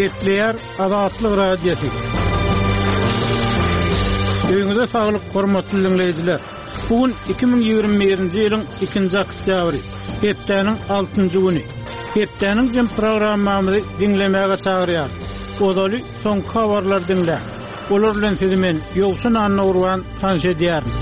Gepleýär Azatlyk Radiosy. Öýüňize saglyk, hormatly diňleýjiler! Bu gün 2021-nji ýylyň ikinji oktýabry, hepdäniň altynjy güni. Hepdäniň jem programmamyzy diňlemäge çagyrýarys. Ozaly soňky habarlary diňläň. Olar bilen sizi men, Ýowşan Annagurban, tanyş edýärin.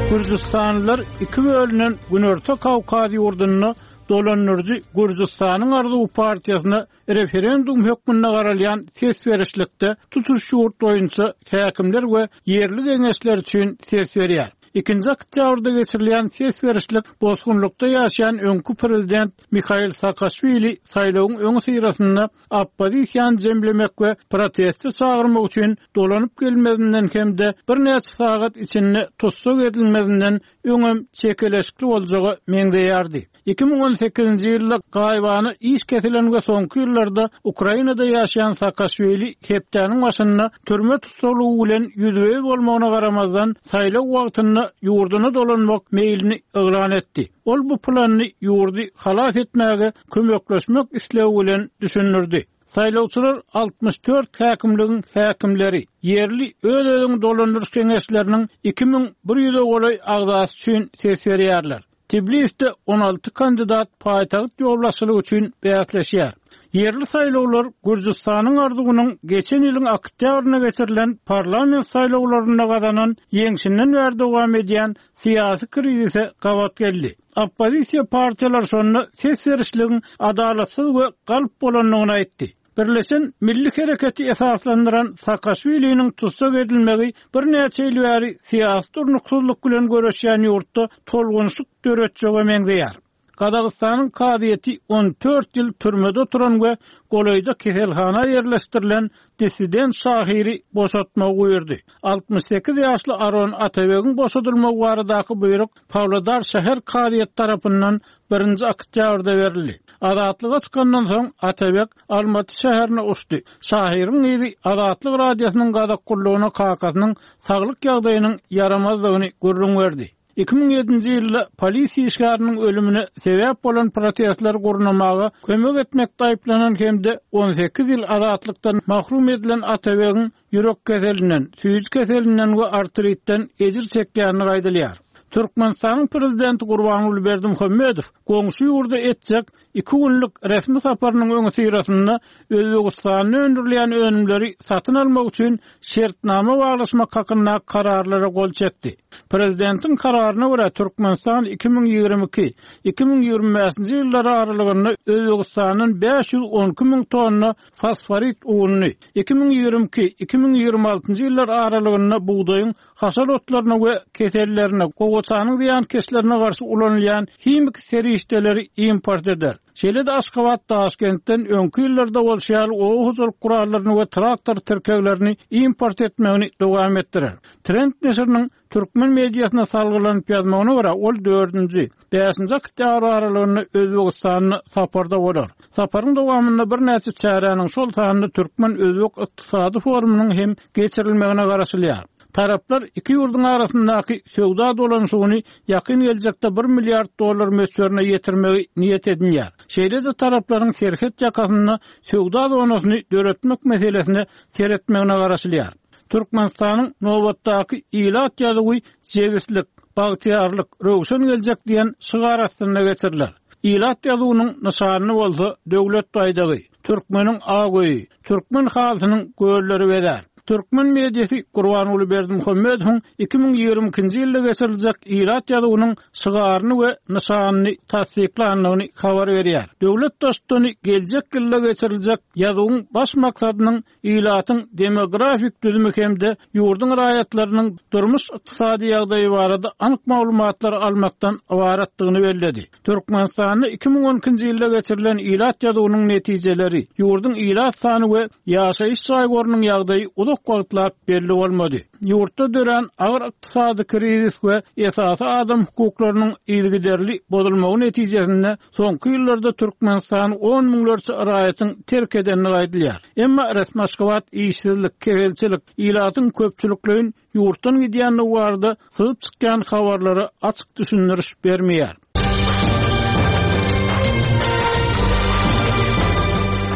Gürjüstanlylar iki bölünen Günorta Kawkaz ýurdunda dolandyryjy Gürjüstanyň arzuwy partiýasyna referendum hökmünde garalýan ses berişlikde tutuş ýurt boýunça häkimler we ýerli geňeşler üçin ses berýär. Ikinji oktýabrda geçirilýän ses berişlik bosgunlykda ýaşaýan öňki prezident Mihail Saakaşwili saýlawyň öňüsyrasynda oppozisiýany jemlemek we proteste çagyrmak üçin dolanyp gelmezinden hem-de birnäçe sagat içinde tussag edilmezinden öňem çekeleşikli boljaga meňzeýärdi. 2018-nji ýylda gaýybana iş kesilen we soňky ýyllarda Ukrainada ýaşaýan Saakaşwili hepdäniň başynda türme tussaglygy bilen ýüzbe-ýüz bolmagyna garamazdan, saýlaw wagtynda ýurduna dolanmak meýlini yglan etdi. Ol bu planyny ýurdy halas etmäge kömekleşmek islegi bilen düşündirdi. Saýlawçylar 64 häkimligiň häkimleri, ýerli öz-özüňi dolandyryş geňeşleriniň 2100-e golaý agzasy üçin ses berýärler. Tbilisde 16 kandidat paýtagt ýolbaşçylygy üçin bäsleşýär. Ýerli saýlawlar Gürjüstanyň arzuwynyň geçen ýylyň oktýabrynda geçirilen parlament saýlawlarynda gazanan ýeňşinden bäri dowam edýän syýasy krizise gabat geldi. Oppozisiýa partiýalary şonda ses berişligiň adalatsyz we galp bolandygyny aýtdy. Birleşen Milli Hereketi esaslandyran Saakaşwiliniň tussag edilmegi birnäçe ýyl bäri syýasy durnuksyzlyk bilen göreşýän ýurtda tolgunyşyk döretjege meňzeýär. Gazagystanyň kazyýeti 14 ýyl türmede oturan we golaýda keselhana ýerleşdirilen dissident şahyry boşatmagy buýurdy. 68 ýaşly Aron Atabegiň boşadylmagy baradaky buýruk Pawlodar şäher kazyýeti tarapyndan birinji oktýabrda berildi. Azatlyga çykandan soň Atabek Almaty şäherine uçdy. Şahyryň gyzy Azatlyk Radiosynyň gazak gullugyna kakasynyň saglyk ýagdaýynyň ýaramazdygyny gürrüň berdi. 2007-nji ýylda polisiýa işgäriniň ölümine sebäp bolan protestleri gurnamaga kömek etmekde aýyplanan hem-de 18 ýyl azatlykdan mahrum edilen Atabegiň ýürek keselinden, süýji keselinden we artritden ejir çekýändigi aýdylýar. Türkmenistanyň Prezidenti Gurbanguly Berdimuhamedow goňşy ýurda etjek iki günlük resmi saparynyň öňüsyrasynda Özbegistanda öndürilýän önümleri satyn almak üçin şertnama baglaşmak hakynda kararlara gol çekdi. Prezidentiň kararyna görä, Türkmenistan 2022, 2025-nji ýyllar aralygynda Özbegistandan 512 müň tonna fosforit ununy, 2022, 2026-njy ýyllar aralygynda bugdaýyň haşal otlaryna we kesellerine, gowaçanyň zyýankeşlerine garşy ulanylýan himiki serişdeleri import eder. Şeýle-de Aşgabat Daşkentden öňki ýyllarda bolşy ýaly oba hojalyk gurallaryny we traktor tirkeglerini import etmegini dowam etdirer. Trend neşiriniň türkmen mediasyna salgylanyp ýazmagyna görä, ol dördünji, bäşinji oktýabr aralygynda Özbegistanda saparda bolar. Saparyň dowamynda birnäçe çäräniň, şol sanda türkmen-özbek ykdysady forumynyň hem geçirilmegine garaşylýar. Taraplar iki ýurduň arasyndaky söwda dolanyşygyny ýakyn geljekde bir milliard dollar möçberine ýetirmegi niýet edinýär. Şeýle-de taraplaryň serhet ýakasynda söwda zonasyny döretmek meselesine seretmegine garaşylýar. Türkmenistanyň nobatdaky ilat ýazuwy Jebislik, bagtyýarlyk, röwşen geljek diýen şygar astynda geçiriler. Ilat ýazuwynyň nyşanyny bolsa Döwlet baýdagy, türkmeniň ak öýi, türkmen halysynyň gölleri bezär. Türkmen mediasy Gurbanguly Berdimuhamedowyň 2022-nji ýylda geçiriljek ilat ýazuwynyň şygaryny we nyşanyny tassyklandygyny habar berýär. Döwlet Baştutany geljek ýylda geçiriljek ýazuwyň baş maksadynyň ilatyň demografik düzümi hem-de ýurduň raýatlarynyň durmuş-ykdysady ýagdaýy barada anyk maglumatlary almakdan ybaratdygyny belledi. Türkmenistanda 2012-nji ýylda geçirilen ilat ýazuwynyň netijeleri, ýurduň ilat sany we ýaşaýyş jaý gorunyň ýagdaýy uzak wagtlap belli bolmady. Ýurtda dörän agyr ykdysady krizis we esasy adam hukuklarynyň yzygiderli bozulmagy netijesinde Soňky ýyllarda Türkmenistany on müňlerçe raýatyň terk edendigi aýdylýar. Emma resmi Aşgabat işsizlik, keselçilik, ilatyň köpçülikleýin ýurtdan gidýändigi barada syzyp çykýan habarlara açyk düşündiriş bermeýär.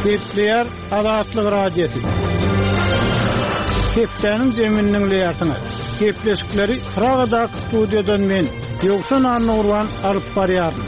Gepleýär Azatlyk Radiosy. Hepdäniň jemini diňleýärsiňiz. Gepleşikleri Pragadaky studiýadan men, Ýowşan Annagurban alyp barýaryn.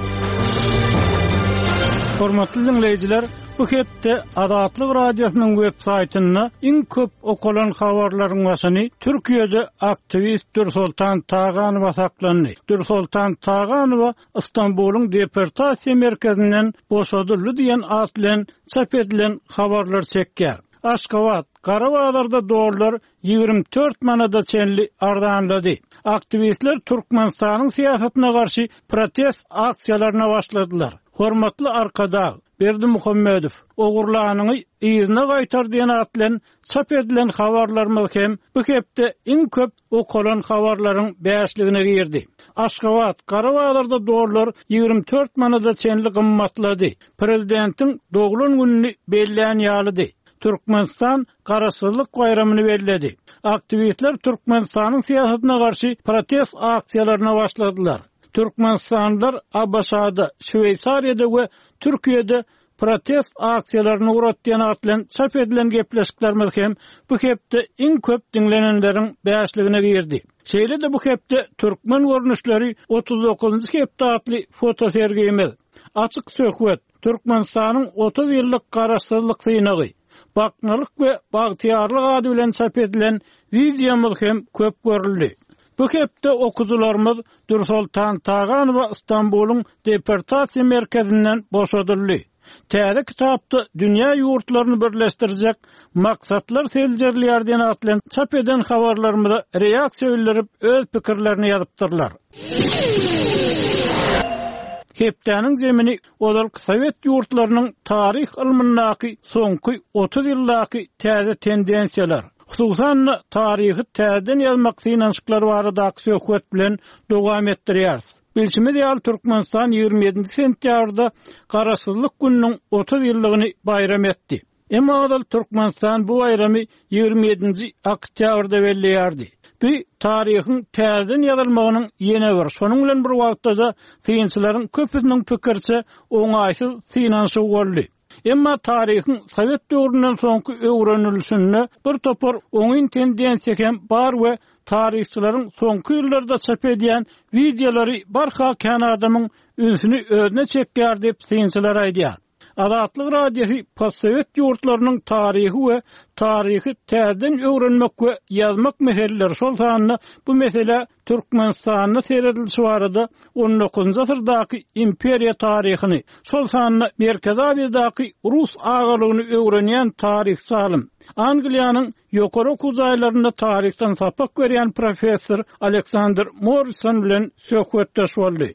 Hormatly diňleýjiler, bu hepde Azatlyk Radiosynyň web saýtynda iň köp okalan habarlaryň başyny Türkiýede aktiwist Dürsoltan Taganowa saklandy. Dürsoltan Taganowa Stambulyň deportasiýa merkezinden boşadyldy diýen at bilen çap edilen habarlar çekýär. Aşgabat, gara bazarda dollar 24 manada çenli arzanlady. Aktiwistler Türkmenistanyň syýasatyna garşy protest aksiýalaryna başladylar. Hormatly Arkadag, Berdimuhamedow, ogurlanyňy yzyna gaýtar diýen at bilen çap edilen habarlarymyz hem bu hepde iň köp okalan habarlaryň bäşligine girdi. Aşgabat, gara bazarda dollar 24 manada çenli gymmatlady. Prezidentiň doglan gününi bellän ýalydy. Türkmenistan Garaşsyzlyk baýramyny belledi. Aktiwistler Türkmenistanyň syýasatyna garşy protest aksiýalaryna başladylar. Türkmenistanlylar ABŞ-da, Şweýsariýada we Türkiýede protest aksiýalaryny guratýan at bilen çap edilen gepleşiklerimiz hem bu hepde iň köp diňlenenleriň bäşligine girdi. Şeýle-de bu hepde Türkmen görnüşleri 39-njy hepde atly fotosergimiz, Açyk söhbet, Türkmenistanyň 30 ýyllyk Garaşsyzlyk synagy, Baknalyk we bagtyýarlyk ady bilen çap edilen wideomyz hem köp görüldi. Bu hepde okyjylarymyz Dürsoltan Taganowa Stambulyň deportasiýa merkezinden boşadyldy. Täze kitapda dünýä ýurtlaryny birleşdirjek maksatlar seljerilýär diýen at bilen çap eden habarlarymyza reaksiýa bildirip öz pikirlerini ýazypdyrlar. Hepdäniň zemini ozalky sowet ýurtlarynyň taryh ylmyndaky soňky 30 ýyldaky täze tendensiýalar, hususan-da, taryhy täzeden ýazmak synanyşyklary baradaky söhbet bilen dowam etdirýäris. Bilşimiz ýaly, Türkmenistan 27 sentýabrda Garaşsyzlyk gününiň 30 ýyllygyny baýram etdi. Emma ozal Türkmenistan bu baýramy 27-nji oktýabrda belleýärdi. Bu taryhyň täzeden ýazylmagynyň ýene bir, şonuň bilen bir wagtda-da synçylaryň köpüsiniň pikiriçe, oňaýsyz synanyşygy boldy. Emma taryhyň sowet döwründen soňky öwrenilişinde bir topar oňyn tendensiýa hem bar we taryhçylaryň soňky ýyllarda çap edýän wideolary barha kän adamyň ünsüni özüne çekýär diýip, synçylar aýdýar. Azatlyk Radiosy postsowet ýurtlarynyň taryhy we taryhy täzeden öwrenmek we ýazmak meseleleri, şol sanda bu meselä Türkmenistanda seredilişi barada on dokuzynjy asyrdaky imperiýa taryhyny, şol sanda Merkezi Aziýadaky rus agalygyny öwrenýän taryhçy alym, Angliýanyň Ýokary okuw jaýlarynda taryhdan sapak berýän professor Aleksandr Morrison bilen söhbetdeş boldy.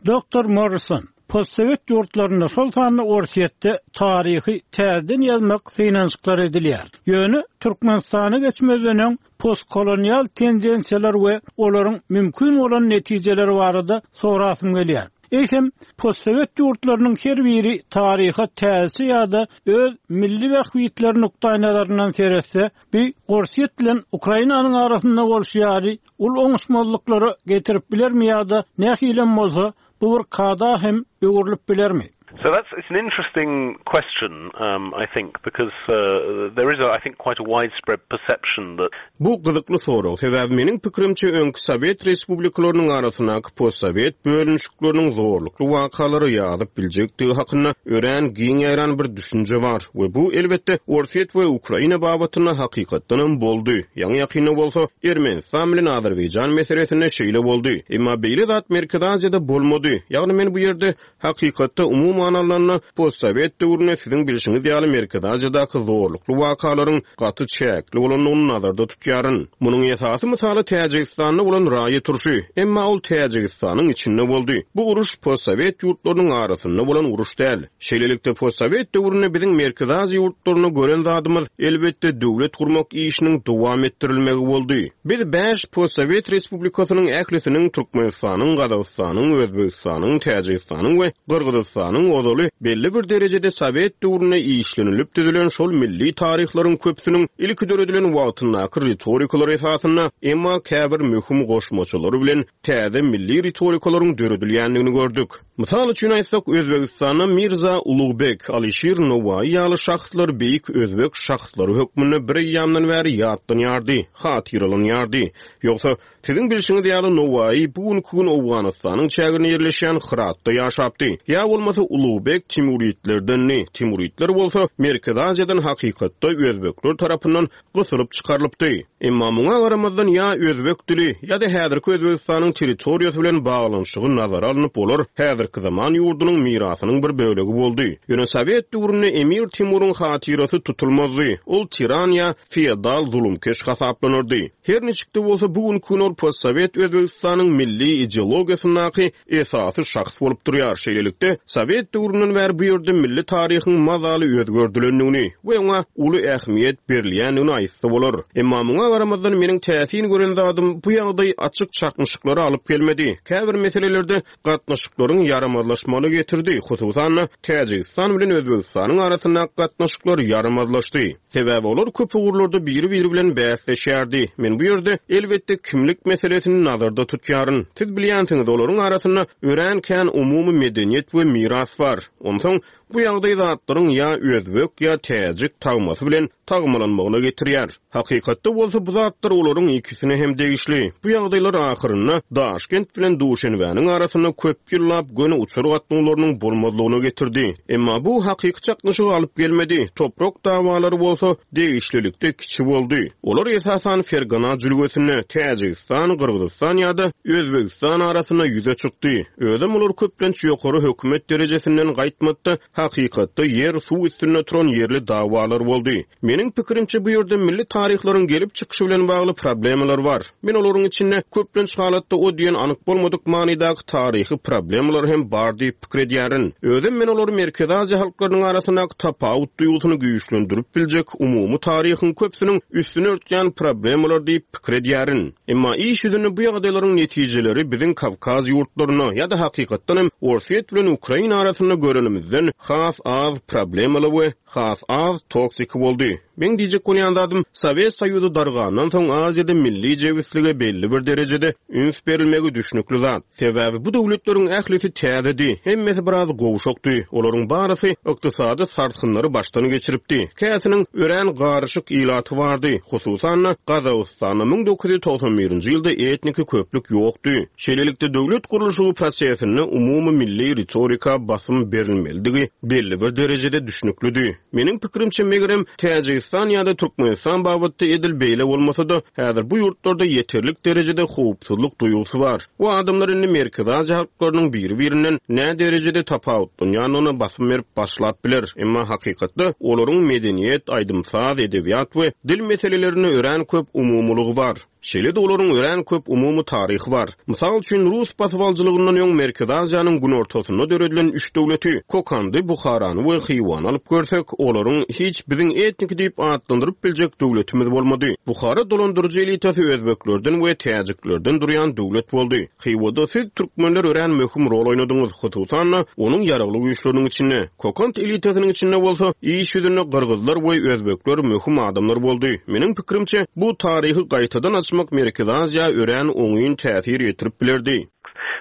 Doktor Morrison, postsowet ýurtlarynda, şol sanda Orsýetde taryhy täzeden ýazmak synanyşyklary edilýär. Ýöne Türkmenistana geçmezden öň postkolonial tendensiýalar we olaryň mümkin bolan netijeleri barada sorasym gelýär. Eýsem, postsowet ýurtlarynyň her biri taryha täzeçe ýa-da öz milli bähbitleri nukdaýnazaryndan seretse, bu Orsýet bilen Ukrainanyň arasynda bolşy ýaly uly oňuşmazlyklara getirip bilermi ýa-da nähilem bolsa bu bir kada hem öwrülip bilermi? So that's it's an interesting question um I think because uh there is a I think quite a widespread perception that Bu gyzykly sorag, sebäbi meniň pikirimçe öňki sowet respublikalarynyň arasyndaky postsowet bölünişikleriniň zorlukly wakalara ýazyp biljekdigi hakynda örän giň ýaýran bir düşünje bar we bu, elbetde, Orsýet we Ukraina babatynda hakykatdanam boldy, ýaňy-ýakynda bolsa Ermenistan bilen Azerbaýjan meselesinde şeýle boldy. Emma beýle zat Merkezi Aziýada bolmady, ýagny men bu ýerde Hakykatda, umuman alnanda, postsowet döwründe siziň bilşiňiz ýaly Merkezi Aziýadaky zorlukly wakalaryň gaty çäkli bolandygyny nazarda tutýaryn. Munuň esasy mysaly Täjigistanda bolan raýat urşy. Emma ol Täjigistanyň içinde boldy. Bu uruş postsowet ýurtlarynyň arasynda bolan uruş däl. Şeýlelikde, postsowet döwründe biziň Merkezi Aziýa ýurtlarynda gören zadymyz, elbetde, döwlet gurmak işiniň dowam etdirilmegi boldy. Biz bäş postsowet respublikasynyň ählisiniň, Türkmenistanyň, Gazagystanyň, Özbegistanyň, Täjigistanyň we Gyrgyzystanyň. ozaly belli bir derejede sowet döwründe işlenilip düzülen şol milli taryhlaryň köpüsiniň ilki döredilen wagtyndaky ritorikalar esasynda, emma käbir möhüm goşmaçalary bilen täze milli ritorikalaryň döredilýändigini gördük. Mysal üçin aýtsak, Özbegistanda Mirza Ulugbek, Alyşir Nowaýy ýaly şahslar beýik özbek şahslary hökmünde bir eýýamdan bäri ýatlanýardy, hatyralanýardy. Ýogsa, siziň bilşiňiz ýaly, Nowaýy bu günki gün Owganystanyň çäginde ýerleşýän Hyratda ýaşapdy. Ýa bolmasa Ulugbek timuridlerdendi, timuridler bolsa Merkezi Aziýadan hakykatda özbekler tarapyndan gysylyp çykarylypdy. Emma muňa garamazdan ýa özbek dili, ýa-da häzirki Özbegistanyň territoriýasy bilen baglanyşygy nazara alnyp olar häzirki zaman ýurdunyň mirasynyň bir bölegi boldy. Ýöne sowet döwründe Emir Timuryň hatyrasy tutulmazdy, ol tiran ýa feodal zulumkeş hasaplanardy. Her niçik-de bolsa bu günki gün ol postsowet Özbegistanyň milli ideologiýasyndaky esasy şahs bolup durýar. Şeýlelikde, sowet döwründen bäri bu ýerde milli taryhyň mazaly özgerdilendigini we oňa uly ähmiýet berilýändigini aýtsa bolar. Emma muňa garamazdan meniň täsin gören zadym bu ýagdaý açyk çaknyşyklara alyp gelmedi. Käbir meselelerde gatnaşyklaryň ýaramazlaşmagyna getirdi, hususan-da, Täjigistan bilen Özbegistanyň arasyndaky gatnaşyklar ýaramazlaşdy. Sebäbi olar köp ugurlarda biri-biri bilen bäsleşýärdi. Men bu ýerde, elbetde, kimlik meselesini nazarda tutýaryn. Siz bilýänsiňiz, olaryň arasynda örän kän umumy medeniýet we miras bar. Onsoň, bu ýagdaý zatlaryň ýa özbek, ýa täjik tagmasy bilen tagmalanmagyna getirýär. Hakykatda bolsa bu zatlar olaryň ikisine hem degişli. Bu ýagdaýlar ahyrynda Daşkent bilen Duşenbäniň arasynda köp ýyllap göni uçar gatnawlarynyň bolmazlygyna getirdi. Emma bu hakyky çaknyşyga alyp gelmedi, toprak dawalary bolsa degişlilikde kiçi boldy. Olar esasan Fergana jülgesinde, Täjigistan, Gyrgyzystan ýa-da Özbegistan arasynda ýüze çykdy. Özem olar köplenç ýokary hökümet derejesinden gaýtmady-da, hakykatda ýer-suw üstünde turan ýerli dawalar boldy. Meniň pikirimçe, bu ýerde milli taryhlaryň gelip çykyşy bilen bagly problemalar bar. Men olaryň içinde, köplenç halatda o diýen anyk bolmadyk manydaky taryhy problemalar hem bar diýip pikir edýärin. Özem men olary Merkezi Aziýa halklarynyň arasyndaky tapawut duýgusyny güýçlendirip biljek umumy taryhyň köpüsiniň üstüni örtýän problemalar diýip pikir edýärin. Emma iş ýüzünde bu ýagdaýlaryň netijeleri biziň Kawkaz ýurtlarynda ýa-da hakykatdan hem Orsýet bilen Ukraina arasynda görenimizden has az problemaly we has az toksiki boldy. Meň diýjek bolýan zadym, Sowet Soýuzy dargandan soň Aziýada milli jebislige belli bir derejede üns berilmegi düşnükli zat. Sebäbi bu döwletleriň ählisi täzedi, hemmesi biraz gowşakdy, olaryň barysy ykdysady sarsgynlary başdan geçiripdi, käsiniň örän garyşyk ilaty bardy, hususan-da, Gazagystanda 1991-nji ýylda etniki köplük ýokdy. Şeýlelikde, döwlet gurluşygy prosesinde umumy milli ritorika basym berilmelidigi belli bir derejede düşnüklidi. Meniň pikirimçe, megerem, Täjigistan ýa-da Türkmenistan babatda edil beýle bolmasa-da, häzir bu ýurtlarda ýeterlik derejede howpsuzlyk duýgusy bar we adamlar indi Merkezi Aziýa halklarynyň biri-birinden näderejede tapawutlanýandygyna basym berip başlap biler, emma hakykatda olaryň medeniýet, aýdym-saz, edebiýat we dil meselelerinde örän köp umumylygy bar. Şeýle-de olaryň örän köp umumy taryhy bar. Mysal üçin, rus basybalyjylygyndan öň Merkezi Aziýanyň günortasynda döredilen üç döwleti, Kokandy, Buharany we Hywany alyp görsek, olaryň hiç biziň etniki diýip atlandyryp biljek döwletimiz bolmady. Buhara dolandyryjy elitasy özbeklerden we täjiklerden durýan döwlet boldy. Hywada siz, türkmenler örän möhüm rol oýnadyňyz, hususan-da, onuň ýaragly güýçleriniň içinde. Kokant elitasynyň içinde bolsa, iş ýüzünde gyrgyzlar we özbekler möhüm adamlar boldy. Meniň pikirimçe, bu taryhy gaýtadan açmak Merkezi Aziýa örän oňyn täsir ýetirip bilerdi.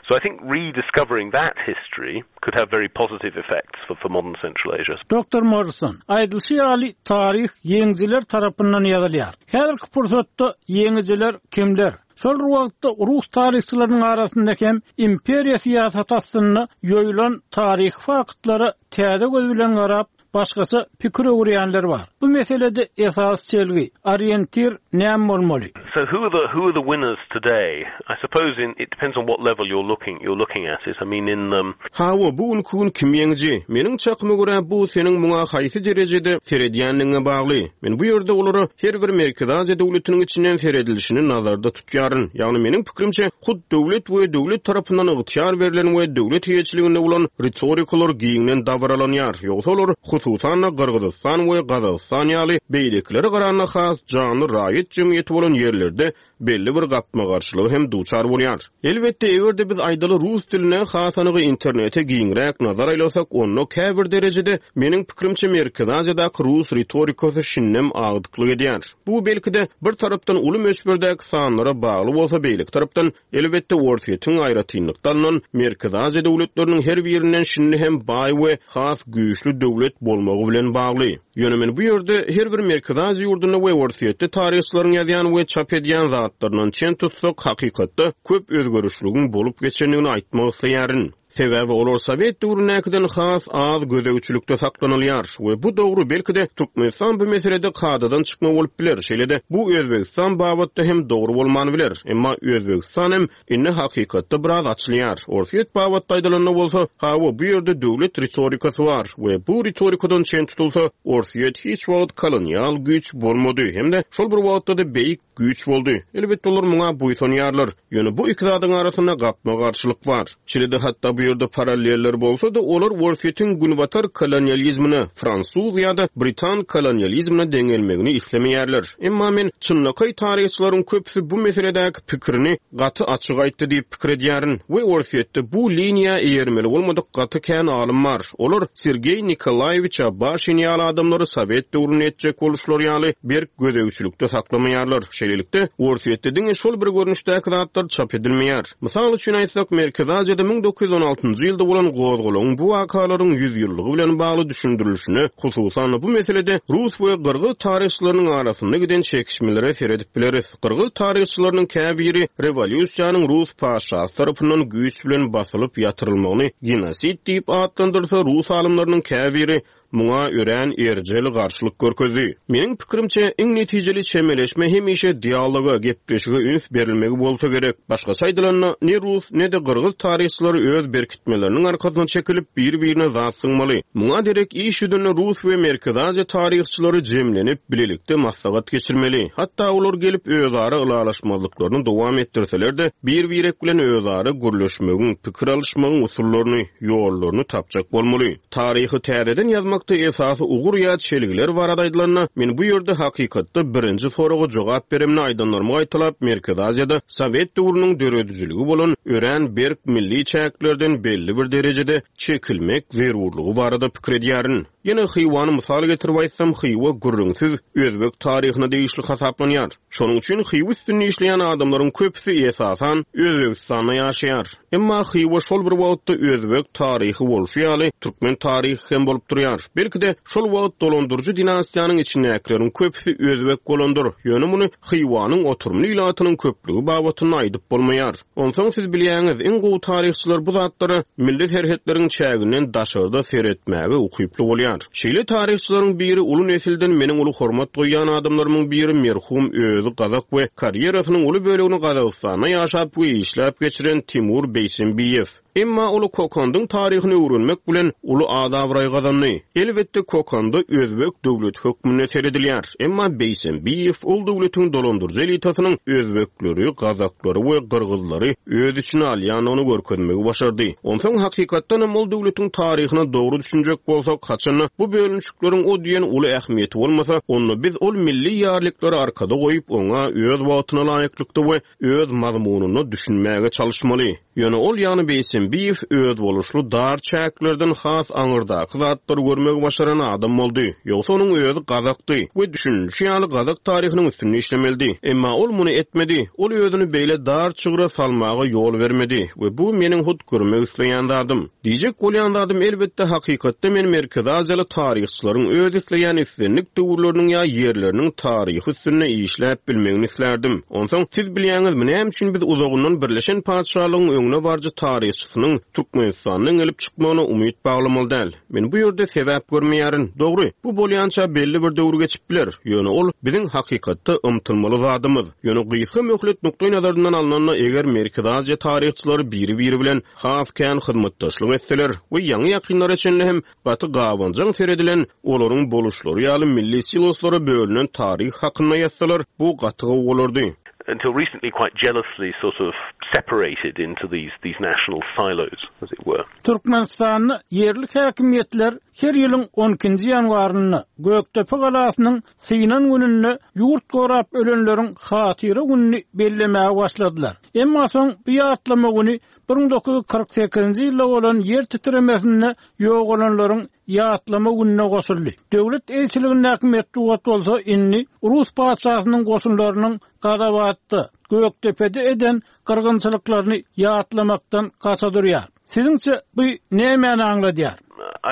So I think rediscovering that history could have very positive effects for for modern Central Asia. Doktor Morrison, Aýdylyşy ýaly, taryh ýeňijiler tarapyndan ýazylýar. Häzirki pursatda ýeňijiler kimler? Şol bir wagtda rus taryhçylarynyň arasynda hem imperiýa syýasaty astynda ýoýulan taryhy faktlara täze göz bilen garap, başgaça pikir öwürýänler bar. Bu meselede esasy çelgi, orientir näme bolmaly? So who are the who are the winners today? I suppose in it depends on what level you're looking you're looking at it. I mean in um. Hawa, bu günki gün kim ýeňiji? Meniň çakyma görä, bu seniň muňa haýsy derejede seredýändigiňe bagly. Men bu ýerde olara her bir Merkezi Aziýa döwletiniň içinden seredilişini nazarda tutýaryn. Ýagny meniň pikirimçe, hut döwlet we döwlet tarapyndan ygtyýar berlen we döwlet eýeçiliginde bolan ritorikalar giňden dabaralanýar. Ýogsa olar. hususan-da, Gyrgyzystan we Gazagystan ýaly beýlekilere garanda has janly raýat jemgyýeti bolan ýerlerde belli bir gapma-garşylyga hem duçar bolýar. Elbetde, eger-de biz aýdaly rus diline, has anygy internete giňräk nazar aýlasak, onda käbir derejede, meniň pikirimçe, Merkezi Aziýadaky rus ritorikasy şindem agdyklyk edýär. Bu, belki-de, bir tarapdan uly möçberdäki sanlara bagly bolsa, beýleki tarapdan, Elbetde, Orsýetiň aýratynlykda alnan Merkezi Aziýa döwletleriniň her birinden şindi hem baý we has güýçli döwlet bolmagy bilen bagly. Ýöne men bu ýerde her bir Merkezi Aziýa ýurdunda we Orsýetde taryhçylaryň ýazýan we çap edýän zatlaryndan çen tutsak, hakykatda köp özgerişligiň bolup geçendigini aýtmak isleýärin. Sebäbi olar sowet döwründäkiden has az gözegçilikde saklanylýar we bu dogry, belki-de, Türkmenistan bu meselede kadadan çykma bolup biler, şeýle-de bu Özbegistan babatda hem dogry bolman biler, emma Özbegistan hem indi hakykatda biraz açylýar. Orsýet babatda aýdylanda bolsa, hawa, bu ýerde döwlet ritorikasy bar we bu ritorikadan çen tutulsa, Orsýet hiç wagt kolonial güýç bolmady hem-de şol bir wagtda-da beýik güýç boldy. Elbetde olar muňa buýsanýarlar. Ýöne bu iki zadyň arasynda gapma-garşylyk bar. Şeýle-de hatda bu ýerde paralleller bolsa-da, olar Orsýetiň günbatar kolonializmine, fransuz ýa-da britan kolonializmine deňelmegini islemeýärler. Emma men çynlakaý taryhçylaryň köpüsi bu meseledäki pikirini gaty açyk aýtdy diýip pikir edýärin we Orsýetde bu liniýa eýermeli bolmadyk gaty kän alym bar. Olar Sergeý Nikolaýewiç Abaşin ýaly adamlary sowet döwründe etjek boluşlary ýaly berk gözegçilikde saklamaýarlar. Şeýlelikde, Orsýetde diňe şol bir görnüşdäki zatlar çap edilmeýär. Mysal üçin aýtsak, Merkezi Aziýada 1916-njy ýylda bolan gozgalaňyň bu wakalaryň ýüzýyllygy bilen bagly düşündirilişine, hususan-da bu meselede rus we gyrgyz taryhçylarynyň arasynda giden çekişmelere seredip bileris. Gyrgyz taryhçylarynyň käbiri rewolýusiýanyň rus patyşasy tarapyndan güýç bilen basylyp ýatyrylmagyny genosid diýip atlandyrsa, rus alymlarynyň käbiri muňa örän erjel garşylyk görkezdi. Meniň pikirimçe, iň netijeli çemeleşme hemişe dialoga, gepleşige üns berilmegi bolsa gerek. Başgaça aýdylanda, ne rus, ne-de gyrgyz taryhçylary öz berkitmeleriniň arkasyna çekilip, bir-birine zat zyňmaly. Muňa derek iş ýüzünde rus we Merkezi Aziýa taryhçylary jemlenip, bilelikde maslahat geçirmeli. Hatda olar gelip özara ylalaşmazlyklaryny dowam etdirseler-de, bir-birek bilen özara gürleşmegiň, pikir alyşmagyň usullaryny, ýollaryny tapjak bolmaly. Taryhy täzeden ýazmakda esasy ugur ýa çelgiler barada aýdylanda, men bu ýerde hakykatda birinji soraga jogap beremde aýdanlarymy gaýtalap, Merkezi Aziýada sowet döwrüniň döredijiligi bolan örän berk milli çäklerden belli bir derejede çekilmek zerurlygy barada pikir edýärin. Ýene Hywany mysal getirip aýtsam, Hywa gürrüňsiz özbek taryhyna degişli hasaplanýar. Şonuň üçin Hywa üstünde işleýän adamlaryň köpüsi, esasan, Özbegistanda ýaşaýar. Emma Hywa şol bir wagtda özbek taryhy bolşy ýaly, türkmen taryhy hem bolup durýar. Belki-de, şol wagt dolandyryjy dinastiýanyň içindäkileriň köpüsi özbek bolandyr, ýöne muny Hywanyň oturymly ilatynyň köplügi babatynda aýdyp bolmaýar. Onsoň siz bilýäňiz, iň gowy taryhçylar bu zatlara milli serhetleriň çäginden daşarda seretmäge ukyply bolýar. Şeýle taryhçylaryň biri uly nesilden meniň uly hormat goýýan adamlarymyň biri merhum özi gazak we karýerasynyň uly bölegini Gazagystanda ýaşap we işläp geçiren Timur Beýsembiýew. Emma ol Kokandyň taryhyny öwrenmek bilen uly at-abraý gazandy. Elbetde Kokanda özbek döwleti hökmünde seredilýär. Emma Beýsembiýew ol döwletiň dolandyryjy elitasynyň özbekleri, gazaklary we gyrgyzlary öz içine alýandygyny görkezmegi başardy. Onsoň hakykatdanam ol döwletiň taryhyna dogry düşünjek bolsak, haçanda bu bölünişikleriň o diýen uly ähmiýeti bolmasa, onda biz ol milli ýarliklary arkada goýup, oňa öz wagtyna laýyklykda we öz mazmunyna düşünmäge çalyşmaly. Ýöne ol, ýagny Beýsembiýew özboluşly dar çäklerden has aňyrdaky zatlary görmegi başaran adam boldy. Ýogsa onuň özi gazakdy we düşünilişi ýaly gazak taryhynyň üstünde işlemelidi. Emma ol muny etmedi. Ol özüni beýle dar çygra salmaga ýol bermedi we bu meniň hut görmek isleýän zadym. Diýjek bolýan zadym, elbetde, hakykatda men Merkezi Aziýaly taryhçylaryň öz isleýän islendik döwürleriniň ýa ýerleriniň taryhy üstünde işläp bilmegini islärdim. Onsoň, siz bilýäňizmi, näme üçin biz uzagyndan Birleşen Patyşalygyň öňde baryjy taryhçysynyň Türkmenistandan gelip çykmagyna umyt baglamaly däl? Men bu ýerde sebäp görmeýärin. Dogry, bu bolýança belli bir döwür geçip biler, ýöne ol biziň hakykatda ymtylmaly zadymyz. Ýöne gysga möhlet nukdaýnazaryndan alnanda, eger Merkezi Aziýa taryhçylary biri-biri bilen has kän hyzmatdaşlyk etseler we ýaňy-ýakynlara çenli hem gaty gabanjaň seredilen, olaryň boluşlary ýaly milli siloslara bölünen taryh hakynda ýazsalar, bu gaty gowy bolardy. until recently quite jealously sort of separated into these these national silos, as it were. Türkmenistanda ýerli häkimiýetler her ýylyň on ikinji ýanwarynda Gökdepe galasynyň synan gününde ýurt gorap ölenleriň hatyra gününi bellemäge başladylar. Emma soň bu ýatlama güni 1948-nji ýylda bolan ýer titremesinde ýogalanlaryň ýatlama gününe goşuldy. Döwlet eýeçiligindäki metbugat bolsa indi rus patyşasynyň goşunlarynyň Gazabatda, Gökdepede eden gyrgynçylyklaryny ýatlamakdan gaça durýar. Siziňçe bu nämäni aňladýar?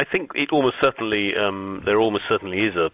I think it almost certainly, there almost certainly is a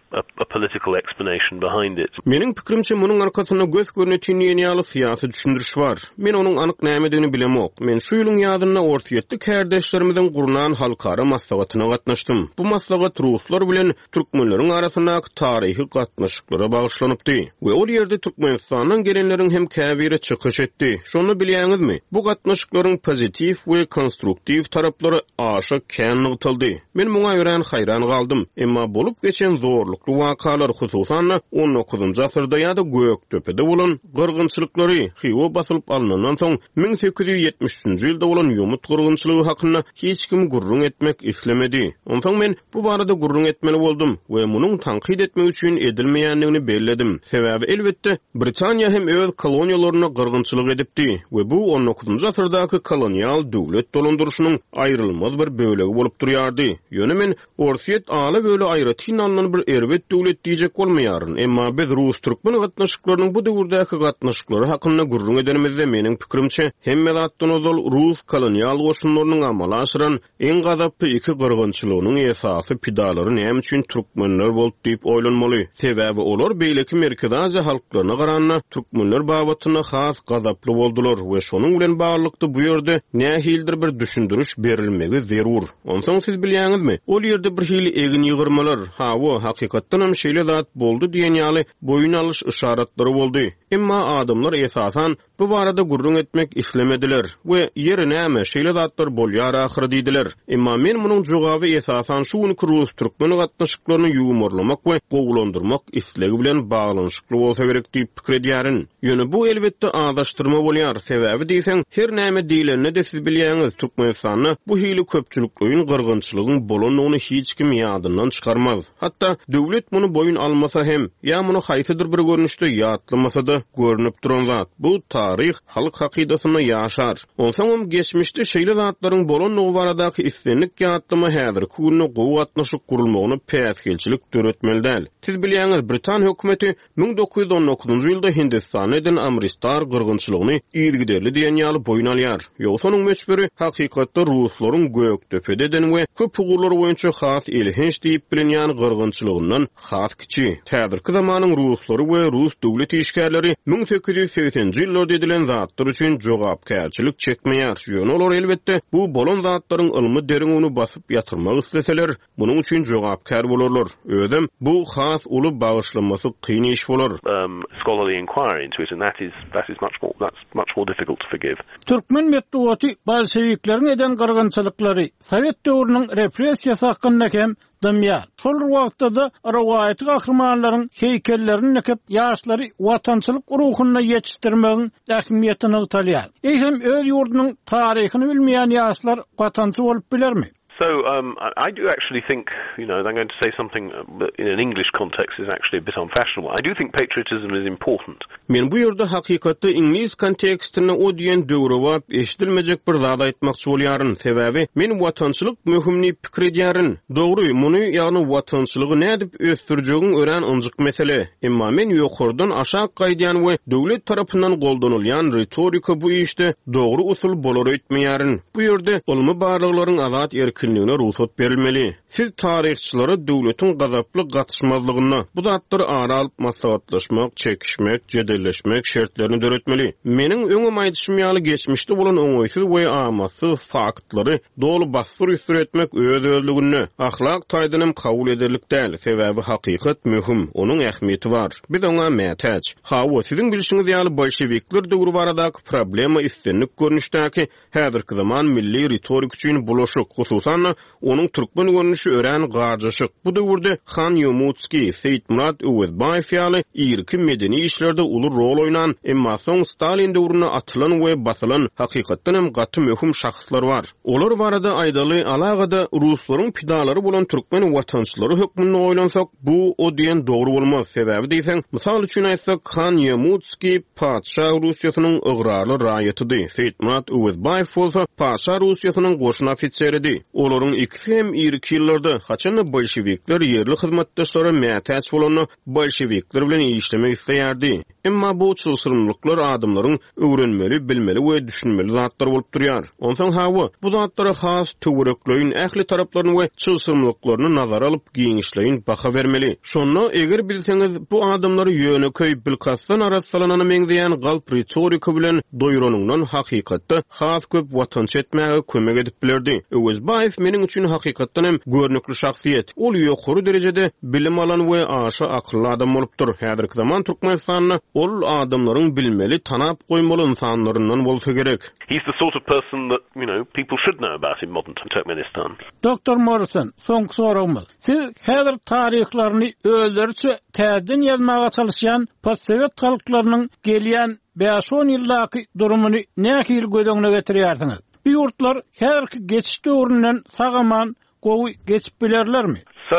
a political explanation behind it. Meniň pikirimçe, munuň arkasynda gös-görnetin diýen ýaly syýasy düşündiriş bar. Men onuň anyk nämedigini bilemok. Men şu ýylyň ýazynda orsýetli kärdeşlerimiziň gurnan halkara maslahatyna gatnaşdym. Bu maslahat ruslar bilen türkmenleriň arasyndaky taryhy gatnaşyklara bagyşlanypdy we ol ýerde Türkmenistandan gelenleriň hem käbiri çykyş etdi. Şonda bilýäňizmi, bu gatnaşyklaryň pozitiw we konstruktiw taraplary aşa kän nygtaldy. Men muňa örän haýran galdym. Emma bolup geçen zorlukly wakalar, hususan-da, on dokuzynjy asyrda ýa-da Gökdepede bolan gyrgynçylyklary, Hywa basylyp alnandan soň 1873-nji ýylda bolan ýomut gyrgynçylygy hakynda hiç kim gürrüň etmek islemedi. Onsoň men bu barada gürrüň etmeli boldum we munuň tankyt etmek üçin edilmeýändigini belledim. Sebäbi, elbetde, Britaniýa hem öz koloniýalarynda gyrgynçylyk edipdi we bu on dokuzynjy asyrdaky kolonial döwlet dolandyryşynyň aýrylmaz bir bölegi bolup durýardy. Ýöne men Orsýet ala-böle aýratyn alnan bir erbet döwlet diýjek bolmaýaryn, emma biz rus-türkmen gatnaşyklarynyň bu döwürdäki gatnaşyklary hakynda gürrüň edenimizde, meniň pikirimçe, hemme zatdan ozal rus kolonial goşunlarynyň amala aşyran iň gazaply iki gyrgynçylygynyň esasy pidalary näme üçin türkmenler boldy diýip oýlanmaly. Sebäbi olar beýleki Merkezi Aziýa halklaryna garanda türkmenler babatynda has gazaply boldular we şonuň bilen baglylykda bu ýerde nähilidir bir düşündiriş berilmegi zerur. Onsoň siz bilýäňizmi, ol ýerde bir hili egin ýygyrmalar, hawa, hakykatdanam şeýle zat boldy diýen ýaly boýun alyş yşaratlary boldy. Emma adamlar esasan bu barada gürrüň etmek islemediler we ýeri näme, şeýle zatlar bolýar ahyry diýdiler. Emma men munuň jogaby esasan şu günki rus-türkmen gatnaşyklaryny ýuwmarlamak we gowulandyrmak islegi bilen baglanyşykly bolsa gerek diýip pikir edýärin. Ýöne bu elbetde azaşdyrma bolýar, sebäbi diýseň, her näme diýlende-de siz bilýäňiz, Türkmenistanda bu hili köpçülikleýin gyrgynçylygyň bolandygyny hiç kim ýadyndan çykarmaz. Hatda döwlet muny boýun almasa hem, ýa muny haýsydyr bir görnüşde ýatlamasa-da, görnüp duran zat, bu taryh halk hakydasynda ýaşar. Onsoňam geçmişde şeýle zatlaryň bolandygy baradaky islendik ýatlama häzirki günde gowy gatnaşyk gurulmagyna päsgelçilik döretmeli däl. Siz bilýäňiz, britan hökümeti 1919-njy ýylda Hindistanda eden Amristar gyrgynçylygyny yzygiderli diýen ýaly boýun alýar. Ýogsa onuň möçberi hakykatda ruslaryň Gökdepede eden we köp ugurlar boýunça has elhenç diýip bilinýän gyrgynçylygyndan has kiçi. Häzirki zamanyň ruslary we rus döwlet işgärleri 1880-nji ýyllarda edilen zatlar üçin jogapkärçilik çekmeýär. Ýöne olar elbetde bu bolan zatlaryň ylmy derňewini basyp ýatyrmak isleseler, Munuň üçin jogapkär bolarlar. Özem bu has uly bagyşlamasy kyn iş bolar. Scholarly inquiry into it and that is that is much more that's much more difficult to forgive. Türkmen metbugaty bolşewikleriň eden gyrgynçylyklary, sowet döwrüniň repressiýasy hakynda hem dymýar. Şol bir wagtda-da rowaýaty gahrymanlaryň heýkellerini dikip, ýaşlary watançylyk ruhunda ýetişdirmegiň ähmiýeti nygtalýar. Eýsem, öz ýurdunyň taryhyny bilmeýän ýaşlar watançy bolup bilermi? So um, I, I do actually think, you know, I'm going to say something that in an English context is actually a bit unfashionable. I do think patriotism is important. Men bu ýerde hakykatda iňlis kontekstinde o diýen döwrebap eşidilmejek bir zat aýtmakçy bolýaryn. Sebäbi men watançylyk möhüm diýip pikir edýärin. Dogry, muny, ýagny watançylygy nädip ösdürjegiň örän ynjyk mesele. Emma men ýokardan aşak gaýdýan we döwlet tarapyndan goldanylýan ritorika bu işde dogry usul bolar öýtmeýärin. Bu ýerde ylmy barlaglaryň azat erkinligine rugsat berilmeli. Siz taryhçylara döwletiň gazaply gatyşmazlygynda bu zatlary ara alyp maslahatlaşmak, çekişmek, jedelleşmek şertlerini döretmeli. Meniň öňem aýdyşym ýaly geçmişde bolan oňaýsyz we amatsyz faktlary doly bassyr-üsdür etmek öz-özlüginde, ahlak taýdan hem kabul ederlik däl, sebäbi hakykat möhüm, onuň ähmiýeti bar. Biz oňa mätäç. Hawa, siziň bilşiňiz ýaly bolşewikler döwri baradaky problema islendik görnüşdäki Häzirki zaman milli ritorik üçin bulaşyk, hususan-da. Hususan-da, onuň türkmen görnüşi örän garjaşyk. Bu döwürde Han Ýomutskiý, Seýitmyrat Öwezbaýew ýaly irki medeni işlerde uly rol oýnan, emma soň Stalin döwründe atylan we basylan, hakykatdan hem gaty möhüm şahslar bar. Olar barada aýdaly, alagada ruslaryň pidalary bolan türkmen watançylary hökmünde oýlansak, bu o diýen dogry bolmaz. Sebäbi diýseň, mysal üçin aýtsak, Han Ýomutskiý patyşa Russiýasynyň ygrarly raýatydy, Seýitmyrat Öwezbaýew bolsa patyşa Russiýasynyň goşun ofiseridi. Olaryň ikisi hem irki ýyllarda, haçan-da bolşewikler ýerli hyzmatdaşlara mätäç bolanda, bolşewikler bilen işlemek isleýärdi. Emma bu çylşyrymlyklar adamlaryň öwrenmeli, bilmeli we düşünmeli zatlary bolup durýar. Onsoň hawa, bu zatlara has töwerekleýin, ähli taraplaryny we çylşyrymlyklaryny nazara alyp giňişleýin baha bermeli. Şonda, eger bilseňiz, bu adamlary ýönekeý, bilkastdan arassalanana meňzeýän galp ritorika bilen doýranyňdan hakykatda has köp watançy etmäge kömek edip bilerdi. Öwezbaýew meniň üçin hakykatdan hem görnükli şahsyýet. Ol ýokary derejede bilim alan we aşa akylly adam bolupdyr. Häzirki zaman Türkmenistanda ol adamlaryň bilmeli, tanap goýmaly ynsanlaryndan bolsa gerek. He's the sort of person that, you know, people should know about in modern Turkmenistan. Doktor Morrison, soňky soragymyz. Siz häzir taryhlaryny özleriçe täzeden ýazmaga çalyşýan postsowet halklarynyň gelýän bäş-on ýyldaky durumyny nähili göz öňüne getirýärsiňiz? Bu ýurtlar häzirki geçiş döwründen sag-aman gowy geçip bilerlermi? So,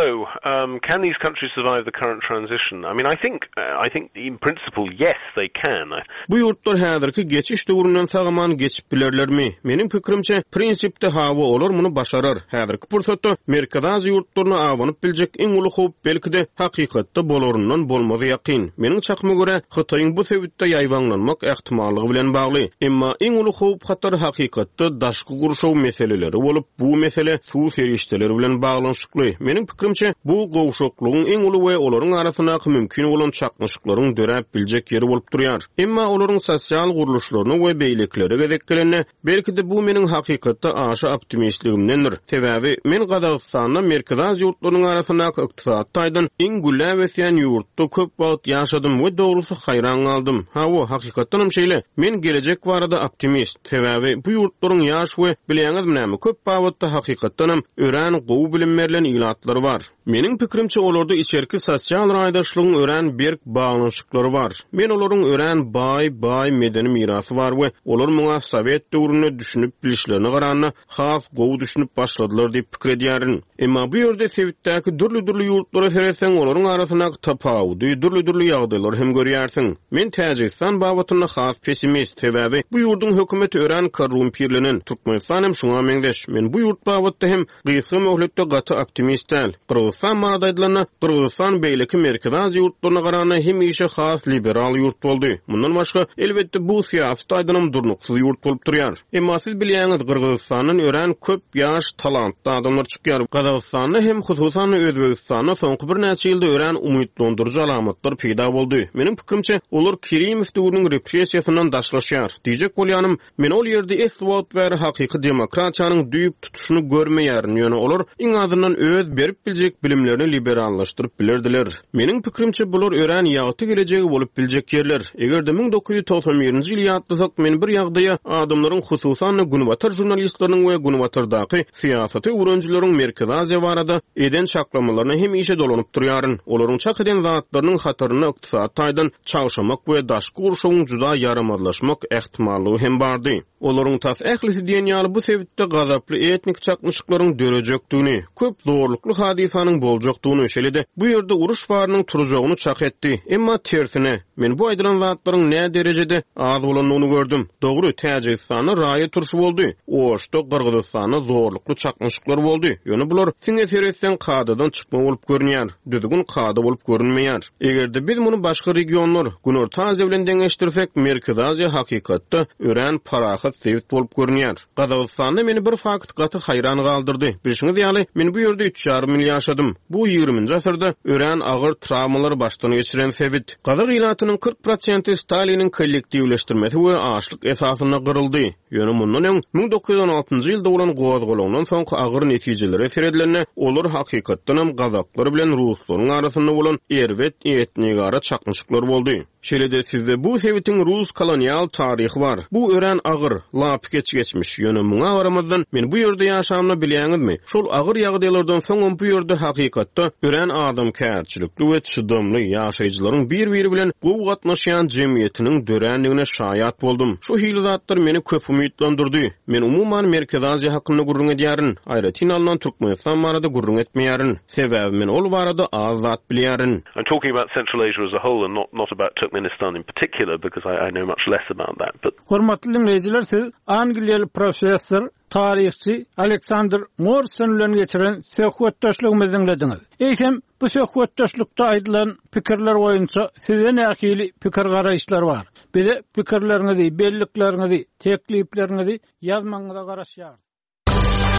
um, can these countries survive the current transition? I mean, I think, I think in principle, yes, they can. Bu ýurtlar häzirki geçiş döwründen sag-aman geçip bilerlermi? Meniň pikirimçe, prinsipde hawa, olar muny başarar. Häzirki pursatda Merkezi Aziýa ýurtlaryna abanyp biljek iň uly howp, belki-de, hakykatda bolaryndan bolmazy ýakyn. Meniň çakyma görä, Hytaýyň bu sebitde ýaýbaňlanmak ähtimallygy bilen bagly. Emma iň uly howp-hatar hakykatda daşky gurşaw meseleleri bolup, bu mesele suw serişdeleri bilen baglanyşykly. Meniň pikirimçe, bu gowşaklygyň iň uly we olaryň arasyndaky mümkin bolan çaknyşyklaryň döräp biljek ýeri bolup durýar. Emma olaryň sosial gurluşlaryna we beýlekilere gezek gelende, belki-de bu meniň hakykatda aşa optimistligimdendir. Sebäbi men Gazagystanda Merkezi Aziýa ýurtlarynyň arasyndaky ykdysady taýdan iň gülläp ösýän ýurtda köp wagt ýaşadym we dogrusy haýran galdym. Hawa, hakykatdanam şeýle. Men gelejek barada optimist. Sebäbi bu ýurtlaryň ýaş we, bilýäňizmi näme, köp babatda hakykatdanam örän gowy bilim berlen ilatlary bar. Meniň pikirimçe, olarda içerki sosial raýdaşlygyň örän berk baglanyşyklary bar. Men olaryň örän baý, baý medeni mirasy bar we olar muňa sowet döwründe düşünip bilişlerine garanda has gowy düşünip başladylar diýip pikir edýärin. Emma bu ýerde sebitdäki dürli-dürli ýurtlara seretseň, olaryň arasyndaky tapawudy, dürli-dürli ýagdaýlary hem görýärsiň. Men Täjigistan babatynda has pessimist, sebäbi bu ýurduň hökümeti örän korrumpirlenen, Türkmenistan hem şuňa meňzeş. Men bu ýurt babatda hem gysga möhletde gaty optimist däl. Gyrgyzystan barada aýdylanda, Gyrgyzystan beýleki Merkezi Aziýa ýurtlaryna garanda hemişe has liberal ýurt boldy. Mundan başga, elbetde, bu syýasy taýdanam durnuksyz ýurt bolup durýar. Emma siz bilýäňiz, Gyrgyzystandan örän köp ýaş, talantly adamlar çykýar. Gazagystanda hem, hususan-da Özbegistanda soňky birnäçe ýylda örän umytlandyryjy alamatlar peýda boldy. Meniň pikirimçe, olar Kerimow döwrüniň repressiýasyndan daşlaşýar. Diýjek bolýanym, men ol ýerde esli wagt bäri hakyky demokratiýanyň düýp tutuşyny görmeýärin, ýöne olar iň azyndan öz berip biljek bilimlerini liberallaşdyryp bilerdiler. Meniň pikirimçe, bular örän ýagty gelejegi bolup biljek ýerler. Eger-de 1991-nji ýyly ýatlasak, men bir ýagdaýa, adamlaryň, hususan-da, günbatar žurnalistleriniň we günbatardaky syýasaty öwrenijileriň Merkezi Aziýa barada eden çaklamalaryna hemişe dolanyp durýaryn. Olaryň çak eden zatlarynyň hatarynda ykdysady taýdan çagşamak we daşky gurşawyň juda ýaramazlaşmak ähtimallygy hem bardy. Olaryň tas ählisi diýen ýaly bu sebitde gazaply etnik çaknyşyklaryň dörejekdigini, köp zorlukly hadysanyň boljakdygyny, şeýle-de bu ýerde uruş barynyň turjagyny çak etdi. Emma tersine, men bu aýdylan zatlaryň nä derejede az bolandygyny gördüm. Dogry, Täjigistanda raýat urşy boldy, Oşda, Gyrgyzystanda zorlukly çaknyşyklar boldy, ýöne bular siňe seretseň kadadan çykma bolup görünýär, düzgün kada bolup görünmeýär. Eger-de biz muny başga regionlar, Günorta Aziýa bilen deňeşdirsek, Merkezi Aziýa hakykatda örän parahat sebit bolup görünýär. Gazagystanda meni bir fakt gaty haýran galdyrdy. Bilşiňiz ýaly, men bu ýerde üç ýarym ýyl. ýyl ýaşadym. Bu ýigriminji asyrda örän agyr trawmalary başdan geçiren sebit. Gazak ilatynyň 40 prosenti Staliniň kollektiwleşdirmesi we açlyk esasynda gyryldy. Ýöne mundan öň, 1916-njy ýylda bolan gozgalaňdan soňky agyr netijelere seredilende, olar hakykatdanam gazaklar bilen ruslaryň arasynda bolan erbet etnigara çaknyşyklar boldy. Şeýle-de sizde bu sebitiň rus kolonial taryhy bar. Bu örän agyr, lapykeç geçmiş. Ýöne muňa garamazdan, men bu ýerde ýaşamda bilýäňizmi, şol agyr ýagdaýlardan soňam bu ýerde hakykatda örän adamkärçilikli we çydamly, ýaşaýjylaryň bir-biri bilen gowy gatnaşýan jemgyýetiniň dörändigine şaýat boldum. Şu hili zatlar meni köp umytlandyrdy. Men umuman Merkezi Aziýa hakynda gürrüň edýärin, aýratyn alnan Türkmenistan barada gürrüň etmeýärin. Sebäbi men ol barada az zat bilýärin. I'm talking about Central Asia as a whole and not not about Turkmenistan in particular because I I know much less about that but. Hormatly diňleýjiler siz angliýaly professor, taryhçy Aleksandr Morrison bilen geçiren söhbetdeşligimizi diňlediňiz. Eýsem, bu söhbetdeşlikde aýdylan pikirler boýunça sizde nähili pikir-garaýyşlar bar? Bize pikirleriňizi, bellikleriňizi, teklipleriňizi ýazmagyňyza garaşýarys.